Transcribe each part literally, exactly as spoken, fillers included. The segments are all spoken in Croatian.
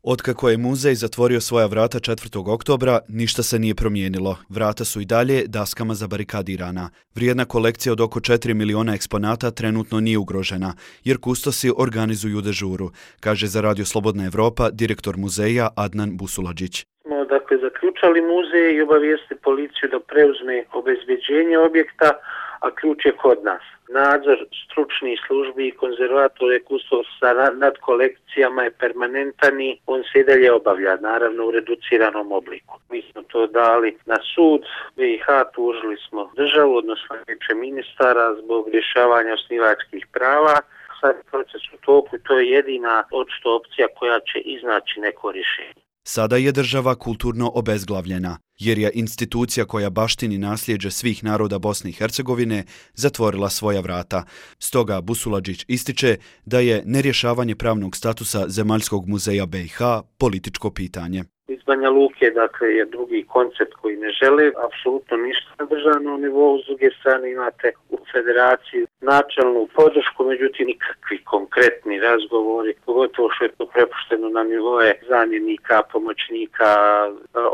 Otkako je muzej zatvorio svoja vrata četvrtog oktobra, ništa se nije promijenilo. Vrata su i dalje daskama zabarikadirana. Vrijedna kolekcija od oko četiri miliona eksponata trenutno nije ugrožena, jer kustosi organizuju dežuru, kaže za Radio Slobodna Evropa direktor muzeja Adnan Busuladžić. Smo dakle zaključali muzej i obavijesti policiju da preuzme obezbeđenje objekta, a ključ je kod nas. Nadzor stručnih službi i konzervatora i kustosa nad kolekcijama je permanentan i on se i dalje obavlja, naravno u reduciranom obliku. Mi smo to dali na sud, B i H tužili smo državu, odnosno vijeće ministara zbog rješavanja osnivačkih prava. Sad je proces u toku i to je jedina očito opcija koja će iznaći neko rješenje. Sada je država kulturno obezglavljena, jer je institucija koja baštini nasljeđe svih naroda Bosne i Hercegovine zatvorila svoja vrata. Stoga Busuladžić ističe da je nerješavanje pravnog statusa Zemaljskog muzeja B i H političko pitanje. Iz Banja Luke, dakle, je drugi koncept koji ne žele apsolutno ništa na državnom nivou. S druge strane imate u federaciji načelnu podršku, međutim nikakvi konkretni razgovori, pogotovo što je to prepušteno na nivoje zamjenika, pomoćnika,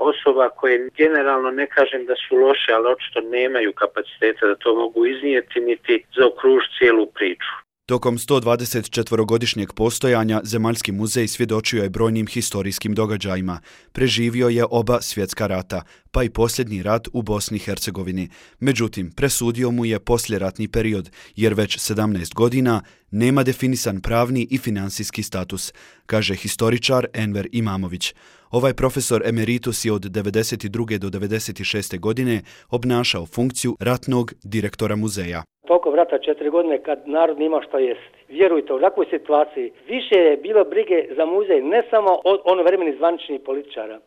osoba koje generalno ne kažem da su loše, ali očito nemaju kapaciteta da to mogu iznijeti niti zaokružiti cijelu priču. Tokom sto dvadeset četvorogodišnjeg postojanja Zemaljski muzej svjedočio je brojnim historijskim događajima. Preživio je oba svjetska rata, pa i posljednji rat u Bosni i Hercegovini. Međutim, presudio mu je poslijeratni period, jer već sedamnaest godina nema definisan pravni i finansijski status, kaže historičar Enver Imamović. Ovaj profesor emeritus je od devedeset druge do devedeset šeste godine obnašao funkciju ratnog direktora muzeja. Tokom rata četiri godine kad narod nima šta jesti. Vjerujte, u takvoj situaciji više je bilo brige za muzej ne samo od onovremenih zvaničnih političara,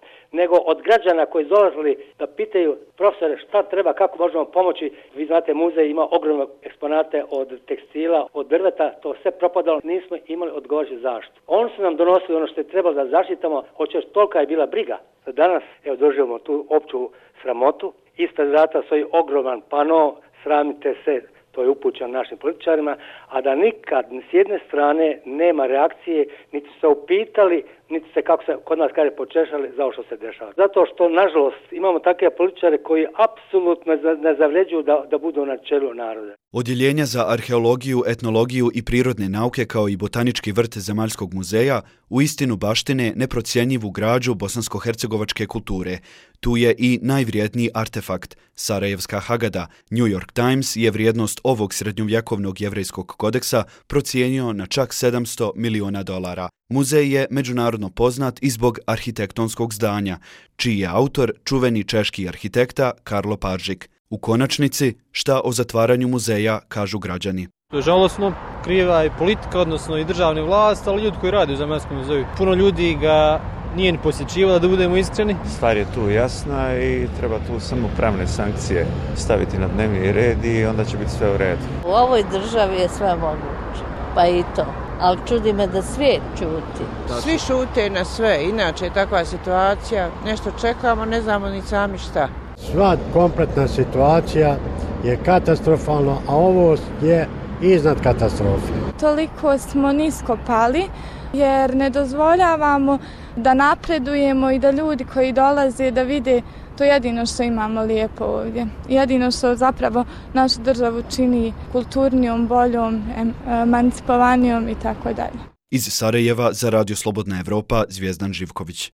nego od građana koji dolazili da pitaju profesore šta treba, kako možemo pomoći. Vi znate, muzej ima ogromne eksponate od tekstila, od drveta, to sve propadalo, nismo imali odgovarajuću zaštitu. Oni su nam donosili ono što je trebalo da zaštitamo, hoćeš tolika je bila briga. Danas, evo, doživimo tu opću sramotu, ispred vrata stoji ogroman pano, sramite se, to je upućeno našim političarima, a da nikad s jedne strane nema reakcije, niti se upitali, niti se, kako se kod nas kaže, počešali za ovo što se dešava. Zato što, nažalost, imamo takve političare koji apsolutno ne zavređuju da, da budu na čelu naroda. Odjeljenja za arheologiju, etnologiju i prirodne nauke kao i botanički vrt Zemaljskog muzeja uistinu baštine neprocjenjivu građu bosansko-hercegovačke kulture. Tu je i najvrijedniji artefakt, Sarajevska Hagada. New York Times je vrijednost ovog srednjovjekovnog jevrejskog kodeksa procijenio na čak sedamsto miliona dolara. Muzej je međunarodno poznat i zbog arhitektonskog zdanja, čiji je autor čuveni češki arhitekta Karlo Paržik. U konačnici, šta o zatvaranju muzeja kažu građani? Žalosno, kriva je politika, odnosno i državne vlast, ali ljudi koji rade u Zemaljskom muzeju. Puno ljudi ga nije ni posjećivalo, da budemo iskreni. Stvar je tu jasna i treba tu samo pravne sankcije staviti na dnevni red i onda će biti sve u redu. U ovoj državi je sve moguće, pa i to. Ali čudi me da svijet čuti. Svi šute na sve, inače je takva situacija, nešto čekamo, ne znamo ni sami šta. Sva kompletna situacija je katastrofalna, a ovo je iznad katastrofe. Toliko smo nisko pali jer ne dozvoljavamo da napredujemo i da ljudi koji dolaze da vide to jedino što imamo lijepo ovdje. Jedino što zapravo našu državu čini kulturnijom, boljom, emancipovanijom i tako dalje. Iz Sarajeva za Radio Slobodna Evropa Zvijezdan Živković.